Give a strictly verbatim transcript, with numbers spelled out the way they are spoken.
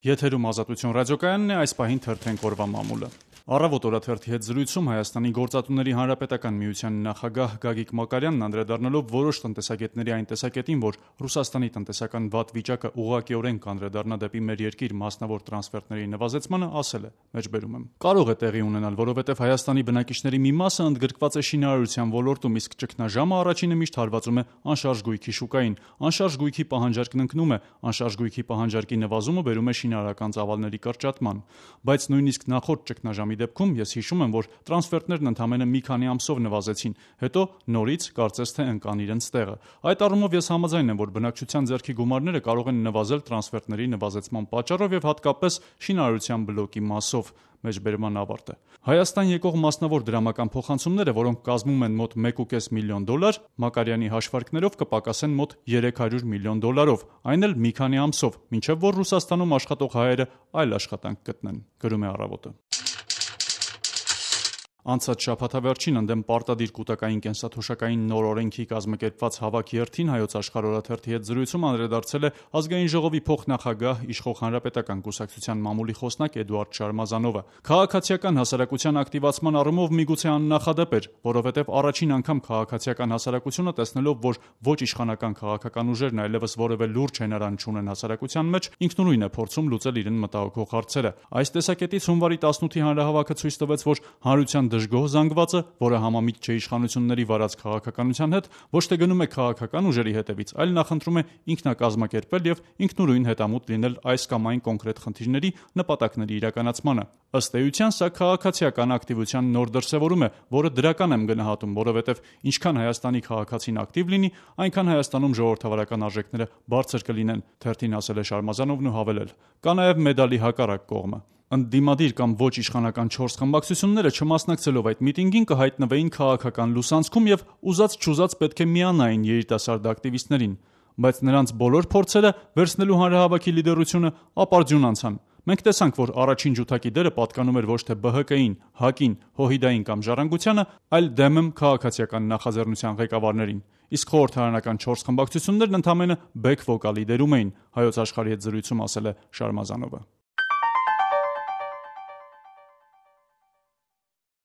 Եթերում Ազատություն ռադիոկայանն է, այս պահին թերթենք օրվա մամուլը։ Առավոտ օրաթերթի հետ զրույցում Հայաստանի գործատուների հանրապետական միության նախագահ Գագիկ Մակարյանն անդրադառնալով որոշ տնտեսագետների այն տեսակետին, որ Ռուսաստանի տնտեսական վատ վիճակը ուղղակիորեն կանդրադառնա դեպի մեր երկիր մասնավոր տրանսֆերտների նվազեցմանը, ասել է. մեջբերում եմ. կարող է տեղի ունենալ, որովհետև Հայաստանի բնակիչների մի մասը ընդգրկված է շինարարության ոլորտում, իսկ ճգնաժամը առաջինը միշտ հարվածում է անշարժ գույքի շուկային, անշարժ գույքի պահանջարկն ընկնում է, անշարժ գույքի պահանջարկի նվազումը բերում է շինարարական ծավալների կրճատման, բայց նույնիսկ նախորդ ճգնաժամի դեպքում ես հիշում եմ, որ տրանսֆերտներն ընդամենը մի քանի ամսով նվազեցին, հետո նորից կարծես թե ընկան իրենց տեղը։ Այդ առումով ես համաձայն եմ, որ բնակչության ձեռքի գումարները կարող են նվազել տրանսֆերտների նվազեցման պատճառով եւ հատկապես շինարարության բլոկի մասով։ Մեջբերման ավարտը։ Հայաստան եկող մասնավոր դրամական փոխանցումները, որոնք կազմում են մոտ մեկ կես միլիոն դոլար, Մակարյանի հաշվարկներով կպակասեն մոտ երեք հարյուր միլիոն դոլարով, այն էլ մի քանի ամսով, մինչև որ Ռուսաստանում աշխատող հայերը այլ աշխատանք գտնեն, գրում է Առավոտը։ Անցած շաբաթավերջին ընդդեմ պարտադիր կուտակային կենսաթոշակային նոր օրենքի կազմակերպված հավաքի հերթին Հայոց Աշխարհ օրաթերթի հետ զրույցում անդրադարձել է Ազգային ժողովի փոխնախագահ, իշխող Հանրապետական կուսակցության մամուլի խոսնակ Էդուարդ Շարմազանովը։ Քաղաքացիական հասարակության ակտիվացման առումով միգուցե աննախադեպ էր, որովհետև առաջին անգամ քաղաքացիական հասարակությունը տեսնելով, որ ոչ իշխանական քաղաքական ուժերն այլևս որևէ լուրջ հենարան չունեն հասարակության մեջ, ինքնուրույն է փորձում լուծել իրեն մտահոգող հարցերը։ Այս տեսակետից հունվարի տասնութի հանրահավաքը ցույց տվեց, որ հանրության դժգոհ զանգվածը, որը համամիտ չէ իշխանությունների վարած քաղաքականության հետ, ոչ թե գնում է քաղաքական ուժերի հետևից, այլ նախընտրում է ինքնակազմակերպել եւ ինքնուրույն հետամուտ լինել այս կամ այն կոնկրետ խնդիրների նպատակների իրականացմանը։ Ըստ էության, սա քաղաքացիական ակտիվության նոր դրսևորում է, որը դրական եմ գնահատում, որովհետեւ ինչքան Հայաստանի քաղաքացին ակտիվ լինի, այնքան Հայաստանում ժողովրդավարական արժեքները բարձր կլինեն, թերթին ասել է Շարմազանովն ու հավելել. կա նաեւ մեդալի հակառակ կողմը։ Ընդդիմադիր կամ ոչ իշխանական չորս խմբակցությունները չմասնակցելով այդ միտինգին կհայտնվեին քաղաքական լուսանցքում եւ ուզած-չուզած պետք է միանային երիտասարդ ակտիվիստներին, բայց նրանց բոլոր փորձերը վերցնելու հանրահավաքի լիդերությունը ապարդյուն անցան։ Մենք տեսանք, որ առաջին ջութակի դերը պատկանում էր ոչ թե B H K-ին, ՀԱԿ-ին, ՀՅԴ-ին կամ Ժառանգությանը, այլ դեմ քաղաքացիական նախաձեռնության ղեկավարներին։ Իսկ խորհրդարանական չորս խմբակցություններն ընդամենը բեք վոկալի դերում էին, Հայոց Աշխարհի հետ զրույցում ասել է Շարմազանովը։